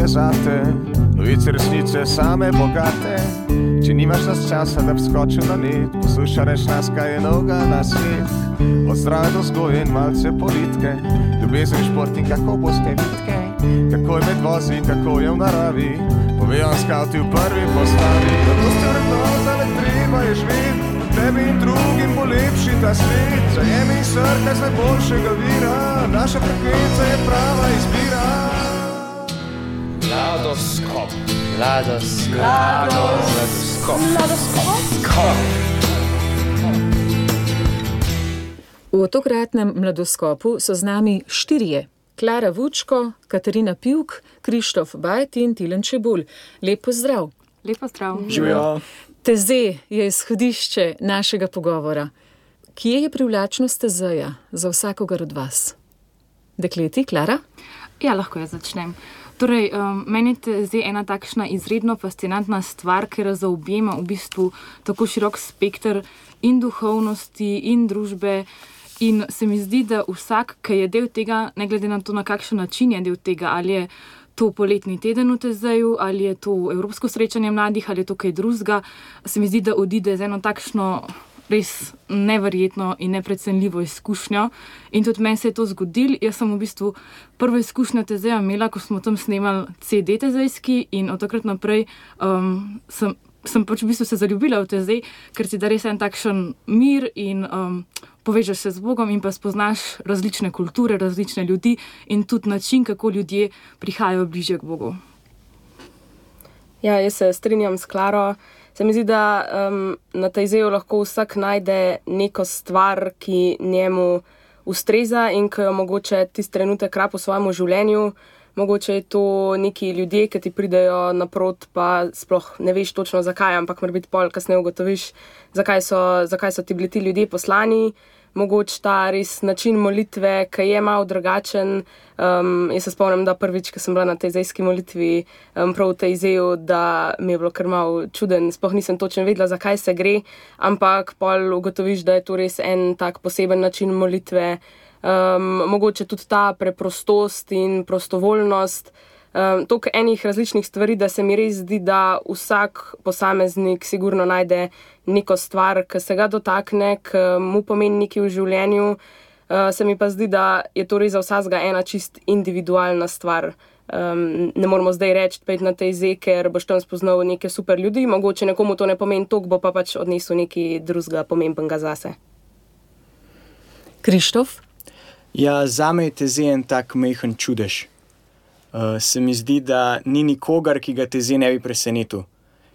je zate, novice resnice same bogate. Če nimaš nas časa, da bi skočil na net, poslušaj reč nas, kaj je novega na svet. Od zdrave do vzgoje in malce politike, ljubezen, šport in kako boste vitke, kako je med vozi in kako je v naravi, povejo vam skavti v prvi postavi. Zato ste vrednota, ne treba je živeti, tebi in drugim bo lepši ta svet. Zajemi in srkaj z najboljšega vira, naša frekvenca je prava izbira. Mladoskop. V tokratnem Mladoskopu so z nami štirje. Klara Vučko, Katarina Pivk, Krištof Bajt in Tilen Čebulj. Lep pozdrav. Lep pozdrav. Živijo. Teze je izhodišče našega pogovora. Kje je privlačnost tezeja za vsakogar od vas? Dekleti, Klara? Ja, lahko jaz začnem. Torej, meni je teze ena takšna izredno fascinantna stvar, ker zaobjema v bistvu tako širok spekter in duhovnosti in družbe. In se mi zdi, da vsak, ki je del tega, ne glede na to, na kakšen način je del tega, ali je to poletni teden v Tezeju, ali je to evropsko srečanje mladih, ali je to kaj drugega, se mi zdi, da odide z eno takšno res neverjetno in neprecenljivo izkušnjo. In tudi meni se je to zgodilo. Jaz sem v bistvu prvo izkušnjo Tezeja imela, ko smo tam snemali CD tezejski in od takrat naprej sem pač v bistvu se zaljubila v Tezej, ker si da res en takšen mir in povežeš se z Bogom in pa spoznaš različne kulture, različne ljudi in tudi način, kako ljudje prihajajo bližje k Bogu. Ja, jaz se strinjam s Klaro. Se mi zdi, da na Tezeju lahko vsak najde neko stvar, ki njemu ustreza in ki jo mogoče tisti trenutek rab v svojem življenju. Mogoče je to neki ljudje, ki ti pridejo naprot, pa sploh ne veš točno zakaj, ampak mora biti pol kasneje ugotoviš, zakaj so ti bili ti ljudje poslani. Mogoče ta res način molitve, ki je malo drugačen. Jaz se spomnim, da prvič, ko sem bila na tezejski molitvi, prav v Tezeju, da mi je bilo kar malo čuden, sploh nisem točno vedela, zakaj se gre, ampak pol ugotoviš, da je to res en tak poseben način molitve. Mogoče tudi ta preprostost in prostovoljnost, toliko enih različnih stvari, da se mi res zdi, da vsak posameznik sigurno najde neko stvar, ki se ga dotakne, ki mu pomeni nekaj v življenju. Se mi pa zdi, da je to res za vsakega ena čist individualna stvar. Ne moramo zdaj reči, pojdi na Teze, ker boš tam spoznal neke super ljudi, mogoče nekomu to ne pomeni toliko, bo pa pač odnesel nekaj drugega pomembnega zase. Krištof? Ja, zame je Teze en tak majhen čudež. Se mi zdi, da ni nikogar, ki ga Teze ne bi presenetil.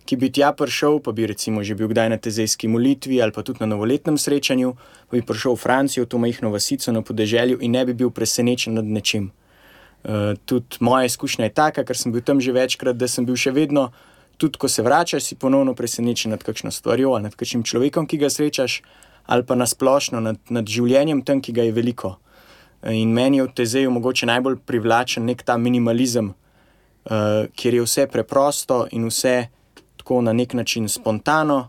Ki bi tja prišel, pa bi recimo že bil kdaj na tezejski molitvi ali pa tudi na novoletnem srečanju, pa bi prišel v Francijo, v to majhno vasico na podeželju in ne bi bil presenečen nad nečim. Tudi moja izkušnja je taka, ker sem bil tam že večkrat, da sem bil še vedno, tudi ko se vračaš, si ponovno presenečen nad kakšno stvarjo ali nad kakšnim človekom, ki ga srečaš, ali pa nasplošno nad življenjem tam, ki ga je veliko. In meni je v Tezeju mogoče najbolj privlačen nek ta minimalizem, kjer je vse preprosto in vse tako na nek način spontano,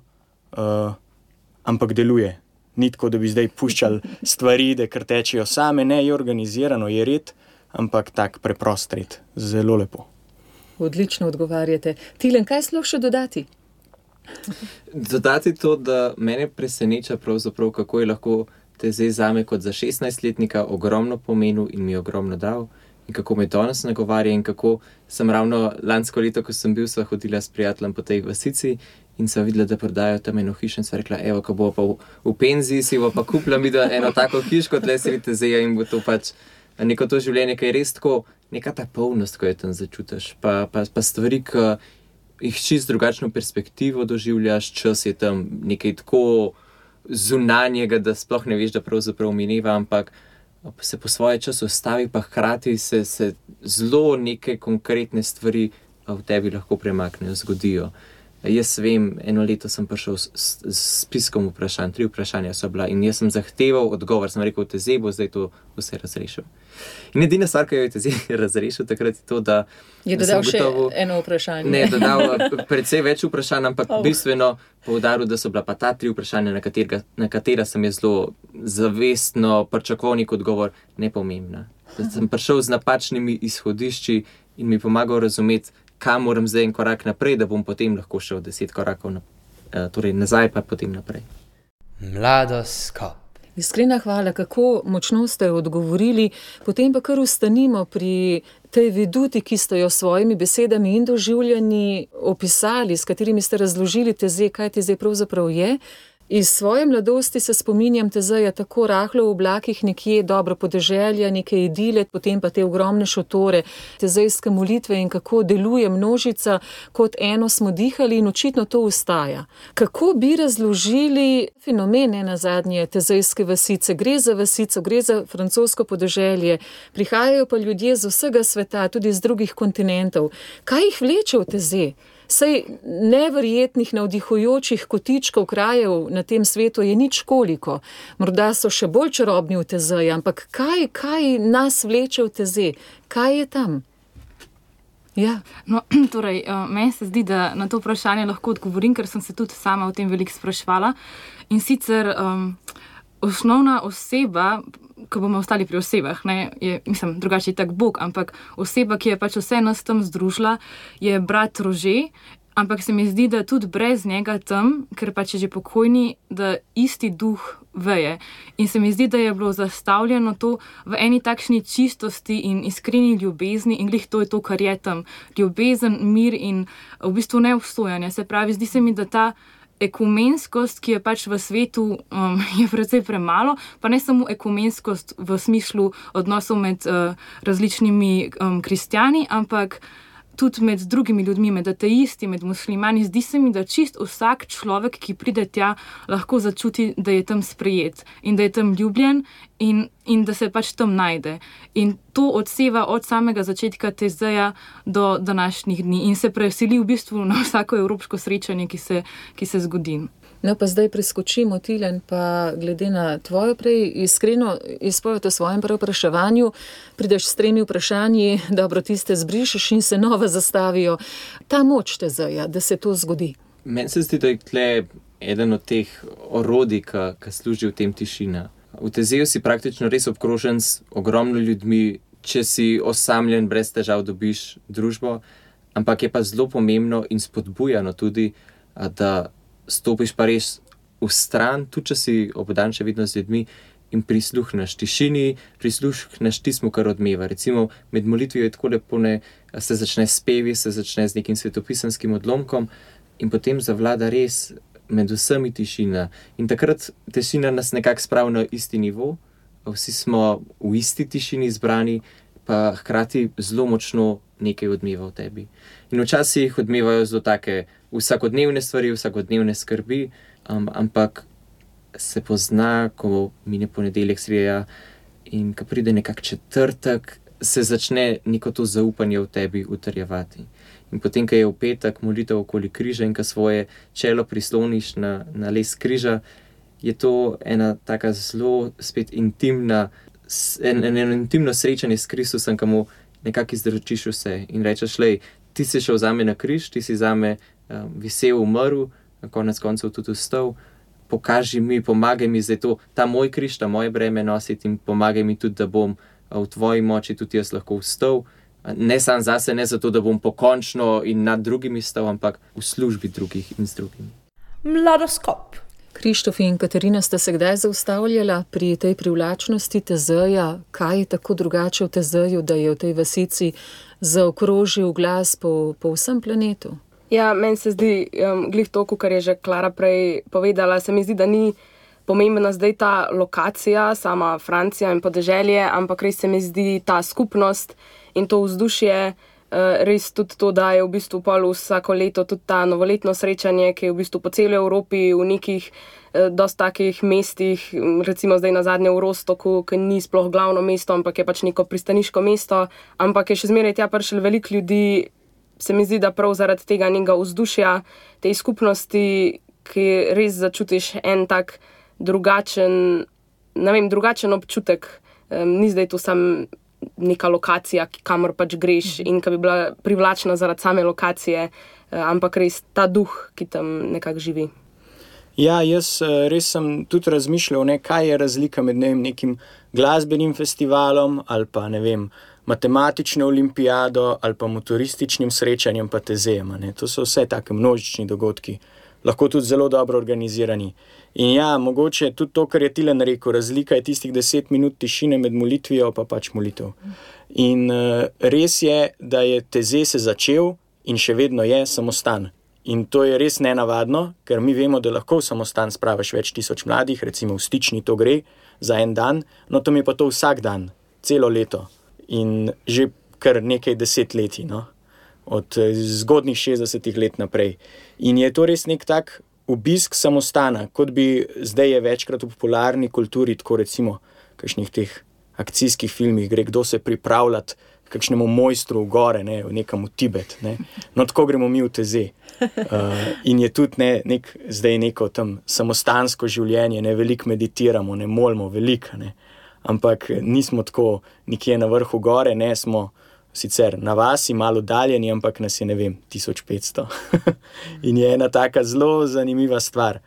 ampak deluje. Ni tako, da bi zdaj puščali stvari, da kar tečejo same, ne, je organizirano, je red, ampak tak preprost red. Zelo lepo. Odlično odgovarjate. Tilen, kaj sploh še dodati? Dodati to, da mene preseneča pravzaprav, kako je lahko Tezej zame kot za 16-letnika ogromno pomenil in mi je ogromno dal in kako me danes nagovarja in kako sem ravno lansko leto, ko sem bil, sva hodila s prijateljem po tej vasici in sva videla, da prodajo tam eno hišo in sva rekla, evo, ko bo pa v penziji, si bo pa kupila mi da eno tako hiško tle sredi Tezeja in bo to pač neko to življenje, ki je res tako, neka ta polnost, ko je tam začutiš, pa stvari, ki jih čist drugačno perspektivo doživljaš, čas je tam nekaj tako zunanjega, da sploh ne veš, da pravzaprav mineva, ampak se po svoje čas ustavi, pa hkrati se zelo neke konkretne stvari v tebi lahko premaknejo, zgodijo. Jaz vem, eno leto sem prišel s spiskom vprašanj, 3 vprašanja so bila in jaz sem zahteval odgovor, sem rekel, Tezej bo zdaj to vse razrešil. In edina stvar, ki jo je Tezej razrešil, takrat je to, da je dodal še eno vprašanje. Ne, dodal precej več vprašanj, ampak bistveno poudaril, da so bila pa ta 3 vprašanja, na katera sem je zelo zavestno pričakoval nek odgovor, nepomembna. Da sem prišel z napačnimi izhodišči in mi pomagal razumeti, kam moram zdaj en korak naprej, da bom potem lahko šel 10 korakov torej nazaj, pa potem naprej. Mladoskop. Iskrena hvala, kako močno ste odgovorili, potem pa kar ustanimo pri tej veduti, ki ste jo s svojimi besedami in doživljanji opisali, s katerimi ste razložili Tezej, kaj Tezej pravzaprav je. Iz svoje mladosti se spominjam Tezeja tako rahlo v oblakih nekje, dobro podeželja, neke idile, potem pa te ogromne šotore, tezejske molitve in kako deluje množica, kot eno smo dihali in očitno to ustaja. Kako bi razložili fenomen nazadnje tezejske vasice? Gre za vasico, gre za francosko podeželje, prihajajo pa ljudje z vsega sveta, tudi z drugih kontinentov. Kaj jih vleče v Tezej? Saj neverjetnih, navdihujočih kotičkov krajev na tem svetu je nič koliko. Morda so še bolj čarobni v Tezeji, ampak kaj nas vleče v Tezej? Kaj je tam? Ja. No, torej, meni se zdi, da na to vprašanje lahko odgovorim, ker sem se tudi sama o tem veliko spraševala. In sicer osnovna oseba, ko bomo ostali pri osebah, ne, je, mislim, drugače je tak Bog, ampak oseba, ki je pač vse nas tam združila, je brat Rože, ampak se mi zdi, da tudi brez njega tam, ker pač je že pokojni, da isti duh veje. In se mi zdi, da je bilo zastavljeno to v eni takšni čistosti in iskreni ljubezni in glih to je to, kar je tam. Ljubezen, mir in v bistvu neobsojanje. Se pravi, zdi se mi, da ta ekumenskost, ki je pač v svetu, je precej premalo, pa ne samo ekumenskost v smislu odnosov med različnimi kristjani, ampak tudi med drugimi ljudmi, med ateisti, med muslimani. Zdi se mi, da čist vsak človek, ki pride tja, lahko začuti, da je tam sprejet in da je tam ljubljen in da se pač tam najde. In to odseva od samega začetka Tezeja do današnjih dni in se preseli v bistvu na vsako evropsko srečanje, ki se zgodi. No, pa zdaj preskočimo, Tilen, pa glede na tvojo prej iskreno izpoved o svojem preopraševanju, prideš s 3 vprašanji, dobro, tiste zbrišeš in se nova zastavijo. Ta moč Tezeja, da se to zgodi. Meni se zdi, da je tle eden od teh orodij, ki služi v tem tišina. V Tezeju si praktično res obkrožen s ogromno ljudmi, če si osamljen, brez težav dobiš družbo, ampak je pa zelo pomembno in spodbujano tudi, da stopiš pa res v stran, tudi če si obdan še vedno z ljudmi in prisluhneš tišini, prisluhneš tismu, kar odmeva. Recimo med molitvijo je tako lepo, se začne s pevi, se začne z nekim svetopisanskim odlomkom in potem zavlada res med vsemi tišina. In takrat tišina nas nekako spravi na isti nivo, vsi smo v isti tišini zbrani, pa hkrati zelo močno nekaj odmeva v tebi. In včasih odmevajo zelo take vsakodnevne stvari, vsakodnevne skrbi, ampak se pozna, ko mine ponedeljek, sreda in ko pride nekak četrtek, se začne neko to zaupanje v tebi utrjevati. In potem, ko je v petek molitev okoli križa in ko svoje čelo prisloniš na les križa, je to ena taka zelo spet intimno srečanje s Kristusom, ko mu nekako izročiš vse in rečeš, lej, ti si šel zame na križ, ti si zame visel, umrl, na konec koncev tudi vstal, pokaži mi, pomagaj mi zdaj to, ta moj križ, ta moje breme nositi in pomagaj mi tudi, da bom v tvoji moči tudi jaz lahko vstal, ne sam zase, ne zato, da bom pokončno in nad drugimi stal, ampak v službi drugih in z drugimi. Mladoskop. Krištof in Katarina sta se kdaj zaustavljala pri tej privlačnosti Tezeja? Kaj je tako drugače v Tezeju, da je v tej vasici zaokrožil glas po vsem planetu? Ja, meni se zdi, glih to, kar je že Klara prej povedala, se mi zdi, da ni pomembna zdaj ta lokacija, sama Francija in podeželje, ampak res se mi zdi ta skupnost in to vzdušje, res tudi to, da je v bistvu pol vsako leto tudi ta novoletno srečanje, ki je v bistvu po celi Evropi v nekih dosti takih mestih, recimo zdaj nazadnje v Rostoku, ki ni sploh glavno mesto, ampak je pač neko pristaniško mesto, ampak je še zmeraj tja prišlo veliko ljudi. Se mi zdi, da prav zaradi tega nekega vzdušja, tej skupnosti, ki res začutiš en tak drugačen občutek. Ni zdaj to sam neka lokacija, kamor pač greš in ki bi bila privlačna zaradi same lokacije, ampak res ta duh, ki tam nekako živi. Ja, jaz res sem tudi razmišljal, kaj je razlika med nekim glasbenim festivalom ali pa, matematično olimpijado ali pa motorističnim srečanjem pa tezejem. To so vse take množični dogodki, lahko tudi zelo dobro organizirani. In ja, mogoče tudi to, kar je Tilen rekel, razlika je tistih 10 minut tišine med molitvijo pa pač molitev. In res je, da je teze se začel in še vedno je samostan. In to je res nenavadno, ker mi vemo, da lahko v samostan spraviš več tisoč mladih, recimo v Stični to gre za en dan, no tam je pa to vsak dan, celo leto in že kar nekaj desetletij, no? Od zgodnjih 60 let naprej. In je to res nek tak obisk samostana, kot bi zdaj je večkrat v popularni kulturi, tako recimo v kakšnih teh akcijskih filmih gre kdo se pripravljati kakšnemu mojstru v gore, ne, v nekam v Tibet. Ne. No, tako gremo mi v teze. In je tudi zdaj neko tam samostansko življenje, ne, veliko meditiramo, ne molimo, veliko, ne. Ampak nismo tako nikje na vrhu gore, ne, smo sicer na vasi, malo daljeni, ampak nas je, ne vem, 1500. In je ena taka zelo zanimiva stvar.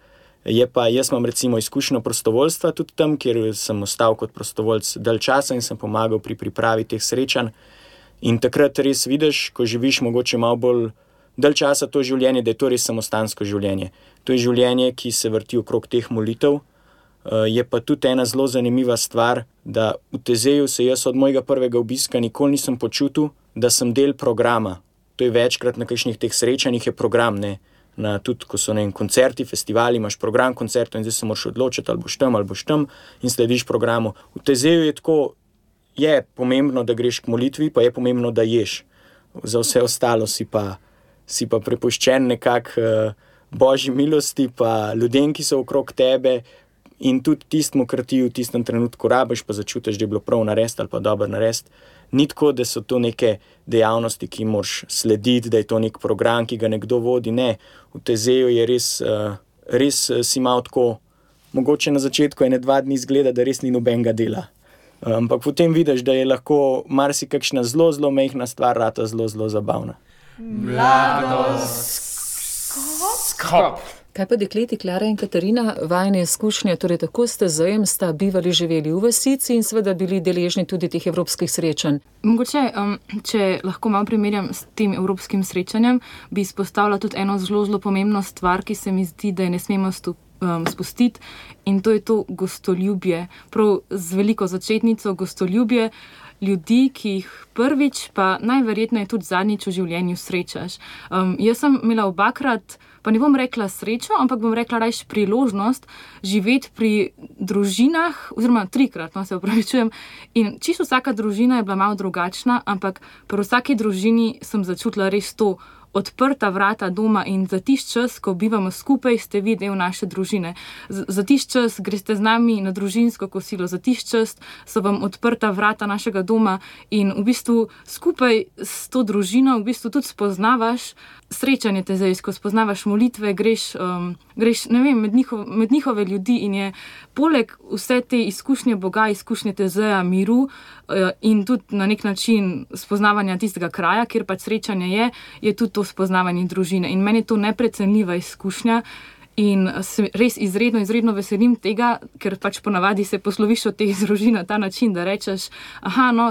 Je pa, jaz imam recimo izkušnjo prostovoljstva tudi tam, kjer sem ostal kot prostovoljc dalj časa in sem pomagal pri pripravi teh srečanj. In takrat res vidiš, ko živiš mogoče malo bolj dalj časa to življenje, da je to res samostansko življenje. To je življenje, ki se vrti okrog teh molitev. Je pa tudi ena zelo zanimiva stvar, da v Tezeju se jaz od mojega prvega obiska nikoli nisem počutil, da sem del programa. To je večkrat na kakšnih teh srečanjih je program, ne. Tudi ko so koncerti, festivali, imaš program koncertov in zdaj se moraš odločiti, ali boš tam in slediš programu. V Tezeju je tako, je pomembno, da greš k molitvi, pa je pomembno, da ješ. Za vse ostalo si pa prepuščen nekako božji milosti, pa ljudem, ki so okrog tebe in tudi tistmu, kar ti v tistem trenutku rabiš, pa začutiš, da je bilo prav narediti ali pa dobro narediti. Ni tako, da so to neke dejavnosti, ki moraš slediti, da je to nek program, ki ga nekdo vodi. Ne, v Tezeju je res si malo tako, mogoče na začetku 1-2 dni izgleda, da res ni nobenega dela. Ampak potem vidiš, da je lahko marsikakšna zelo, zelo majhna stvar rata zelo, zelo zabavna. Mladoskop. Kaj pa dekleti Klara in Katarina, vajne izkušnje, torej tako ste zajem, sta bivali, živeli v vasici in seveda bili deležni tudi teh evropskih srečanj. Mogoče, če lahko malo primerjam s tem evropskim srečanjem, bi izpostavila tudi eno zelo, zelo pomembno stvar, ki se mi zdi, da je ne smemo spustiti, in to je to gostoljubje. Prav z veliko začetnico gostoljubje ljudi, ki jih prvič, pa najverjetneje tudi zadnjič v življenju srečaš. Jaz sem imela obakrat, pa ne bom rekla srečo, ampak bom rekla rajš priložnost živeti pri družinah, oziroma 3-krat, no, se opravičujem. In čisto vsaka družina je bila malo drugačna, ampak pri vsaki družini sem začutila res to odprta vrata doma in za tisti čas, ko bivamo skupaj, ste vi del naše družine. Za tisti čas greste z nami na družinsko kosilo, za tisti čas so vam odprta vrata našega doma in v bistvu skupaj s to družino v bistvu tudi spoznavaš srečanje tezejsko, spoznavaš molitve, greš ne vem, med njihove ljudi in je poleg vse te izkušnje Boga, izkušnje Tezeja, miru in tudi na nek način spoznavanja tistega kraja, kjer pač srečanje je tudi to spoznavanje družine. In meni je to neprecenljiva izkušnja in se res izredno veselim tega, ker pač ponavadi se posloviš od teh družin na ta način, da rečeš,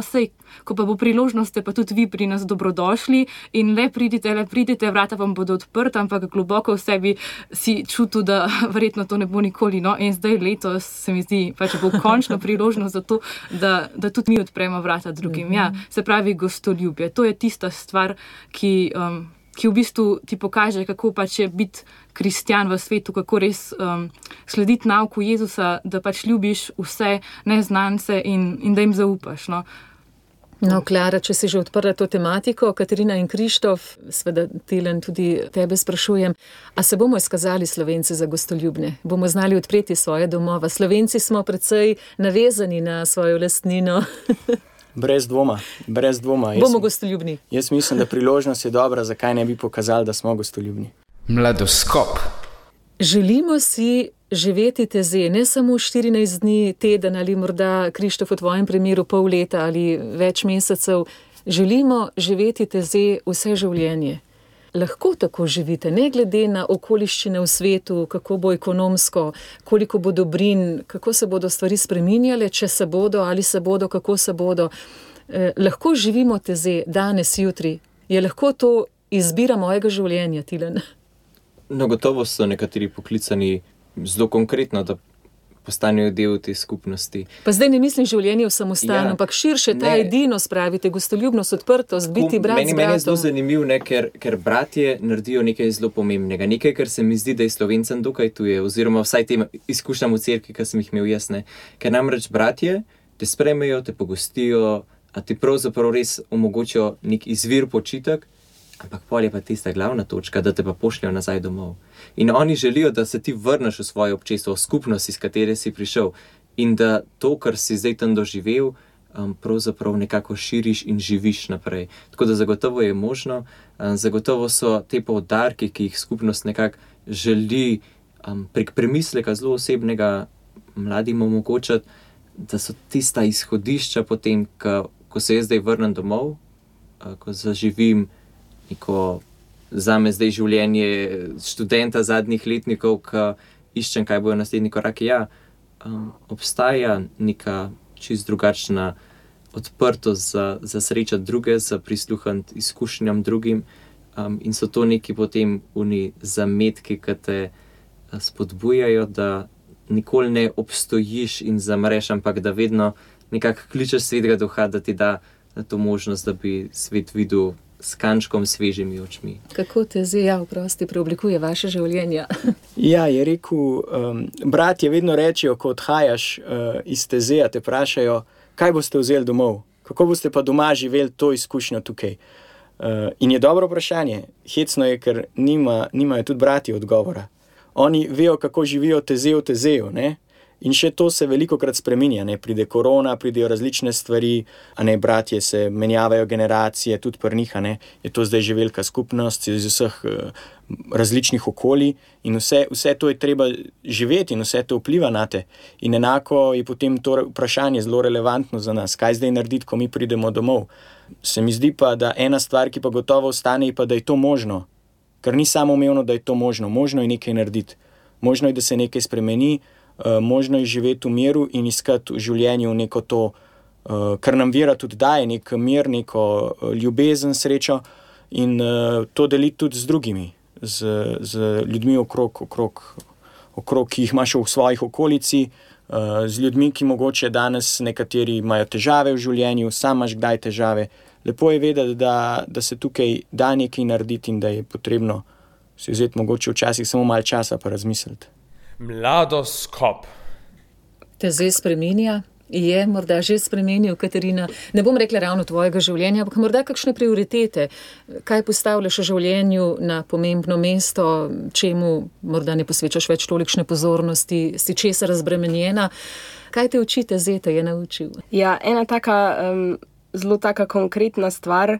sej, ko pa bo priložnost, ste pa tudi vi pri nas dobrodošli in le pridite, vrata vam bodo odprta, ampak globoko v sebi si čutil, da verjetno to ne bo nikoli. No? In zdaj letos se mi zdi, pač bo končno priložnost za to, da tudi mi odpremo vrata drugim. Ja, se pravi gostoljubje. To je tista stvar, ki v bistvu ti pokaže, kako pač je biti kristjan v svetu, kako res slediti nauku Jezusa, da pač ljubiš vse neznance in da jim zaupaš. No, Klara, če si že odprla to tematiko, Katarina in Krištof, seveda Tilen tudi tebe sprašujem, a se bomo izkazali Slovenci za gostoljubne? Bomo znali odpreti svoje domova? Slovenci smo precej navezani na svojo lastnino. Brez dvoma. Bomo gostoljubni. Jaz mislim, da priložnost je dobra, zakaj ne bi pokazali, da smo gostoljubni. Mladoskop. Želimo si živeti Teze, ne samo 14 dni, teden ali morda, Krištof, v tvojem primeru pol leta ali več mesecev. Želimo živeti Teze vse življenje. Lahko tako živite, ne glede na okoliščine v svetu, kako bo ekonomsko, koliko bo dobrin, kako se bodo stvari spreminjale, če se bodo ali se bodo, kako se bodo. Lahko živimo teze danes, jutri. Je lahko to izbira mojega življenja, Tilen? No, gotovo so nekateri poklicani zelo konkretno, da postanejo del te skupnosti. Pa zdaj ne mislim življenje v samostanu, Ja, ampak širše ta ne. edinost, pravite, gostoljubnost, odprtost, biti brat z Meni je zelo bratom. zanimiv, ne, ker bratje naredijo nekaj zelo pomembnega. Nekaj, kar se mi zdi, da je Slovencem dokaj tuje, oziroma vsaj tem izkušnjam v cerkvi, ki sem jih imel jaz. Ne. Ker namreč bratje te sprejmejo, te pogostijo, a ti pravzaprav res omogočijo nek izvir počitek, ampak pol je pa tista glavna točka, da te pa pošljajo nazaj domov. In oni želijo, da se ti vrneš v svoje občestvo, v skupnost, iz katere si prišel. In da to, kar si zdaj tam doživel, pravzaprav nekako širiš in živiš naprej. Tako da zagotovo je možno, zagotovo so te poudarki, ki jih skupnost nekako želi prek premisleka zelo osebnega mladim omogočati, da so tista izhodišča potem, ko se jaz zdaj vrnem domov, ko zaživim neko zame zdaj življenje študenta zadnjih letnikov, ki iščem, kaj bojo naslednji koraki. Ja, obstaja neka čist drugačna odprtost za srečati druge, za prisluhniti izkušnjam drugim, in so to neki potem oni zametki, ki te spodbujajo, da nikoli ne obstojiš in zamreš, ampak da vedno nekako kličeš svetega duha, da ti da to možnost, da bi svet videl s kančkom svežimi očmi. Kako te zdaj, vprosti, preoblikuje vaše življenje? Ja, je rekel, bratje vedno rečejo, ko odhajaš iz tezeja, te vprašajo, kaj boste vzeli domov, kako boste pa doma živeli to izkušnjo tukaj. In je dobro vprašanje. Hecno je, ker nimajo tudi bratje odgovora. Oni vejo, kako živijo teze v tezeju, ne? In še to se velikokrat spreminja, ne? Pride korona, pridejo različne stvari, a ne, bratje se menjavajo generacije, tudi pri njih, a ne, je to zdaj že velika skupnost iz vseh različnih okolij in vse to je treba živeti in vse to vpliva na te. In enako je potem to vprašanje zelo relevantno za nas, kaj zdaj narediti, ko mi pridemo domov. Se mi zdi pa, da ena stvar, ki pa gotovo ostane, je pa, da je to možno. Ker ni samoumevno, da je to možno. Možno je nekaj narediti. Možno je, da se nekaj spremeni, možno je živeti v miru in iskati v življenju neko to, kar nam vera tudi daje, nek mir, neko ljubezen, srečo in to deliti tudi z drugimi, z ljudmi okrog, ki jih imaš v svojih okolici, z ljudmi, ki mogoče danes nekateri imajo težave v življenju, sam imaš kdaj težave. Lepo je vedeti, da se tukaj da nekaj narediti in da je potrebno si vzeti mogoče včasih samo malo časa pa razmisliti. Mladoskop. Te zdaj spreminja? Je morda že spremenil, Katarina? Ne bom rekla ravno tvojega življenja, ampak morda kakšne prioritete. Kaj postavljaš v življenju na pomembno mesto, čemu morda ne posvečaš več tolikšne pozornosti, si česa razbremenjena? Kaj te učite zdaj, te je naučil? Ja, ena zelo taka konkretna stvar,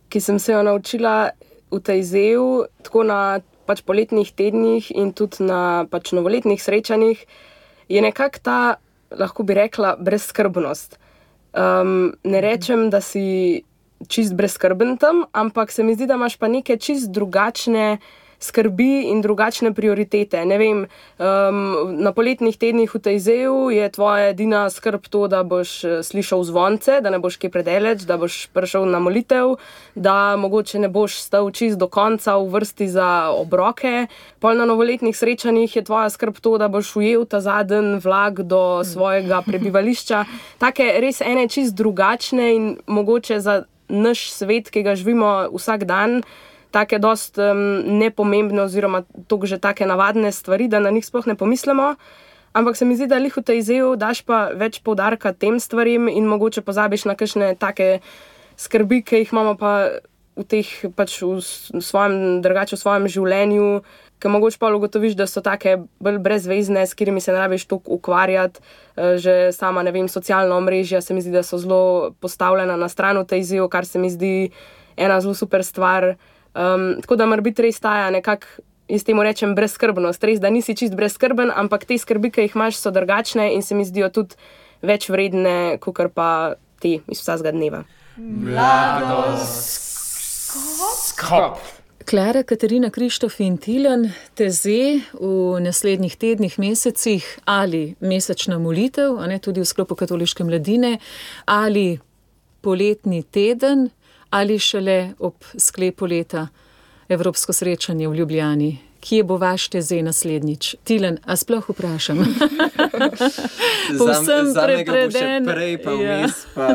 ki sem se jo naučila v Tajzeju, tako na poletnih tednih in tudi na novoletnih srečanjih, je nekako ta, lahko bi rekla, brezskrbnost. Ne rečem, da si čist brezskrben tam, ampak se mi zdi, da imaš pa neke čist drugačne skrbi in drugačne prioritete. Ne vem, na poletnih tednih v Tajzeju je tvoja edina skrb to, da boš slišal zvonce, da ne boš kaj predaleč, da boš prišel na molitev, da mogoče ne boš stal čist do konca v vrsti za obroke. Pol na novoletnih srečanjih je tvoja skrb to, da boš ujel ta zadnji vlak do svojega prebivališča. Take res ene čist drugačne in mogoče za naš svet, ki ga živimo vsak dan, take dost nepomembne oziroma toliko že take navadne stvari, da na njih sploh ne pomislimo. Ampak se mi zdi, da lih v Tajzeju daš pa več poudarka tem stvarim in mogoče pozabiš na kakšne take skrbi, ki jih imamo pa v teh v svojem življenju, ki mogoče pa ugotoviš, da so take bolj brezvezne, s katerimi se ne rabiš toliko ukvarjati. Že sama, ne vem, socialna omrežja se mi zdi, da so zelo postavljena na stran v Tajzeju, kar se mi zdi ena zelo super stvar. Tako da mora biti res taja nekako, jaz temu rečem, brezskrbnost. Res, da nisi čist brezskrben, ampak te skrbi, ki jih imaš, so drugačne in se mi zdijo tudi več vredne, kakor pa te iz vsakega dneva. Mladoskop. Klara, Katarina, Krištof in Tilen, teze v naslednjih tednih, mesecih ali mesečna molitev, a ne, tudi v sklopu katoliške mladine, ali poletni teden ali šele ob sklepu leta evropsko srečanje v Ljubljani? Kje bo vaš Tezej naslednjič? Tilen, a sploh vprašam? Povsem prepreden. Prej pa vmes, pa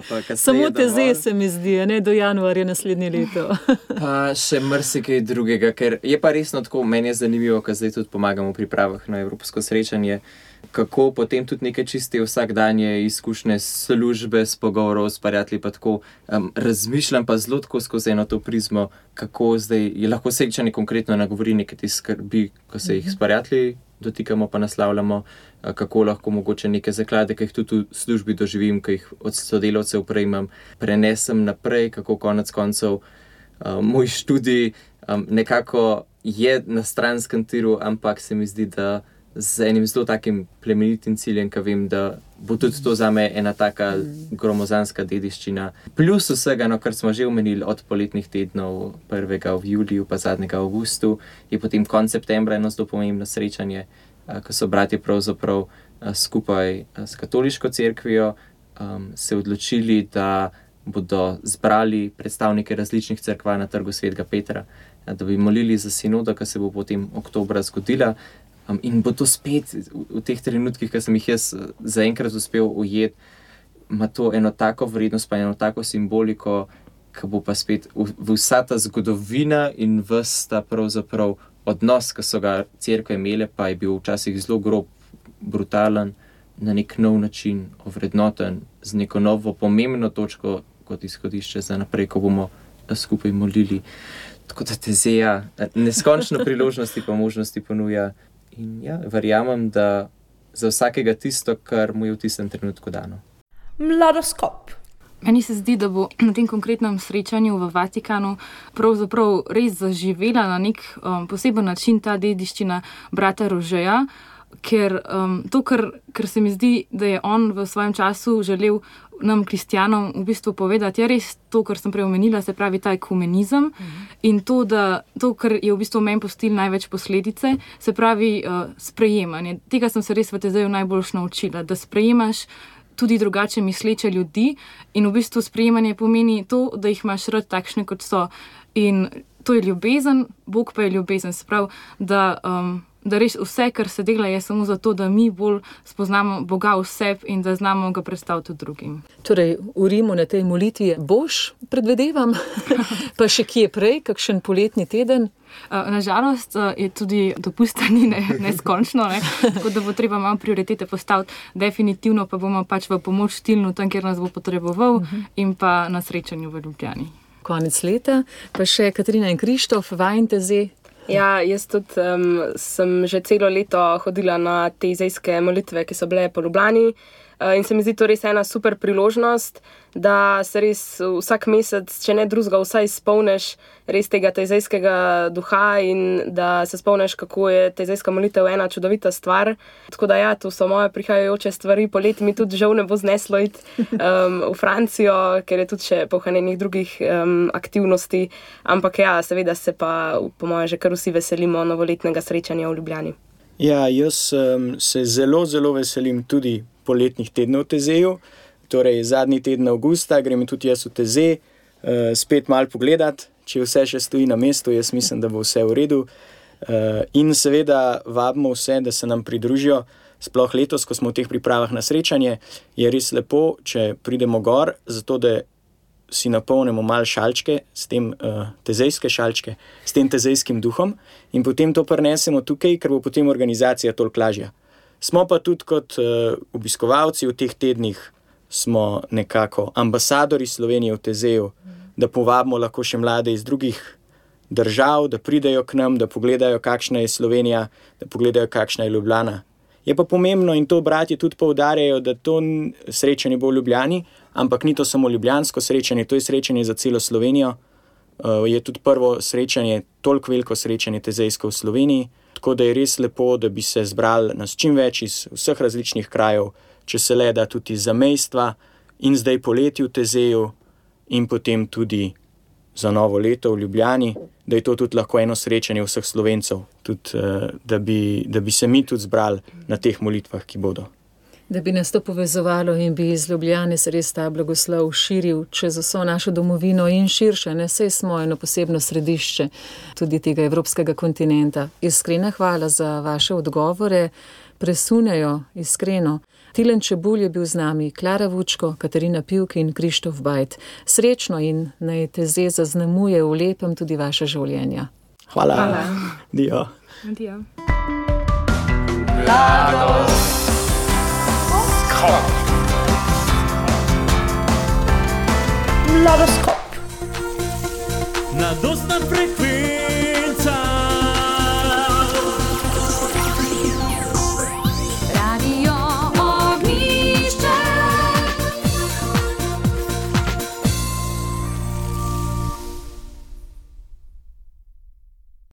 kasneje. Samo Tezej se mi zdi, ne do januarja naslednje leto. Pa še marsikaj drugega, ker je pa resno tako, meni je zanimivo, ker zdaj tudi pomagam v pripravah na evropsko srečanje, kako potem tudi neke čiste vsakdanje izkušnje službe, s pogovorov, s prijatelji pa tako razmišljam pa zelo tako skozi eno to prizmo, kako zdaj je lahko srečanje konkretno nagovori neke te skrbi, ko se jih s prijatelji dotikamo pa naslavljamo, kako lahko mogoče neke zaklade, ki jih tudi v službi doživim, ki jih od sodelavcev prejmem, prenesem naprej, kako konec koncev moj študij nekako je na stranskem tiru, ampak se mi zdi, da z enim zelo takim plemenitim ciljem, ki vem, da bo tudi to zame ena taka gromozanska dediščina. Plus vsega, kar smo že omenili od poletnih tednov, prvega v juliju pa zadnjega v avgustu, je potem konec septembra eno zelo pomembno srečanje, ko so bratje pravzaprav skupaj s katoliško cerkvijo se odločili, da bodo zbrali predstavnike različnih cerkva na trgu Svetega Petra, da bi molili za sinodo, ki se bo potem oktobra zgodila. In bo to spet v teh trenutkih, ki sem jih jaz zaenkrat uspel ujeti, ima to eno tako vrednost, pa eno tako simboliko, ki bo pa spet vsa ta zgodovina in ves ta pravzaprav odnos, ki so ga cerkve imele, pa je bil včasih zelo grob, brutalen, na nek nov način ovrednoten, z neko novo pomembno točko kot izhodišče za naprej, ko bomo skupaj molili. Tako da Tezeja neskončno priložnosti pa možnosti ponuja. In ja, verjamem, da za vsakega tisto, kar mu je v tistem trenutku dano. Mladoskop. Meni se zdi, da bo na tem konkretnem srečanju v Vatikanu pravzaprav res zaživela na nek poseben način ta dediščina brata Rožeja, ker ker se mi zdi, da je on v svojem času želel nam, kristjanom, v bistvu povedati, je res to, kar sem prej omenila, se pravi ta ekumenizem in to, kar je v bistvu meni pustilo največ posledice, se pravi sprejemanje. Tega sem se res v Tezeju najboljš naučila, da sprejemaš tudi drugače misleče ljudi in v bistvu sprejemanje pomeni to, da jih imaš rad takšne, kot so. In to je ljubezen, Bog pa je ljubezen, se pravi, da res vse, kar se dela, je samo zato, da mi bolj spoznamo Boga v sebi in da znamo ga predstaviti drugim. Torej, v Rimu na tej molitvi boš, predvedevam, pa še kje prej, kakšen poletni teden? Nažalost je tudi dopusta ni neskončno, tako da bo treba malo prioritete postaviti. Definitivno pa bomo pač v pomoč Tilnu tam, kjer nas bo potreboval in pa na srečanju v Ljubljani. Konec leta, pa še Katarina in Krištof, vajin Tezej. Ja, jaz tudi sem že celo leto hodila na te tezejske molitve, ki so bile po Ljubljani in se mi zdi to res ena super priložnost, da se res vsak mesec, če ne drugega, vsaj spomniš res tega tezejskega duha in da se spomniš, kako je tezejska molitev ena čudovita stvar. Tako da ja, to so moje prihajajoče stvari. Poleti mi tudi žal ne bo zneslo iti v Francijo, ker je tudi še pohranjenih drugih aktivnosti, ampak ja, seveda se pa po moje že kar vsi veselimo novoletnega srečanja v Ljubljani. Ja, jaz se zelo, zelo veselim tudi poletnih tednov v Tezeju. Torej, zadnji teden avgusta grem tudi jaz v Tezej, spet malo pogledat, če vse še stoji na mestu, jaz mislim, da bo vse v redu. In seveda vabimo vse, da se nam pridružijo, sploh letos, ko smo v teh pripravah na srečanje, je res lepo, če pridemo gor, zato da si napolnimo malo šalčke, s tem tezejske šalčke, s tem tezejskim duhom in potem to prinesemo tukaj, ker bo potem organizacija toliko lažja. Smo pa tudi kot obiskovalci v teh tednih, smo nekako ambasadori Slovenije v Tezeju, da povabimo lahko še mlade iz drugih držav, da pridejo k nam, da pogledajo, kakšna je Slovenija, da pogledajo, kakšna je Ljubljana. Je pa pomembno in to bratje tudi poudarjajo, da to srečanje bo v Ljubljani, ampak ni to samo ljubljansko srečanje, to je srečanje za celo Slovenijo. Je tudi prvo srečanje, toliko veliko srečanje tezejsko v Sloveniji, tako da je res lepo, da bi se zbrali nas čim več iz vseh različnih krajev, če se le da tudi za mejstva in zdaj poleti v Tezeju in potem tudi za novo leto v Ljubljani, da je to tudi lahko eno srečanje vseh Slovencev, tudi, da bi se mi tudi zbrali na teh molitvah, ki bodo. Da bi nas to povezovalo in bi iz Ljubljane se res ta blagoslov širil čez vso našo domovino in širše, ne, saj smo eno posebno središče tudi tega evropskega kontinenta. Iskrena hvala za vaše odgovore, presunjajo iskreno. Tilen Čebulj je bil z nami, Klara Vučko, Katarina Pivk in Krištof Bajt. Srečno in naj Teze zaznamuje v lepem tudi vaše življenja. Hvala. Dio. Adijo. Mladoskop. Mladostna frekvenca.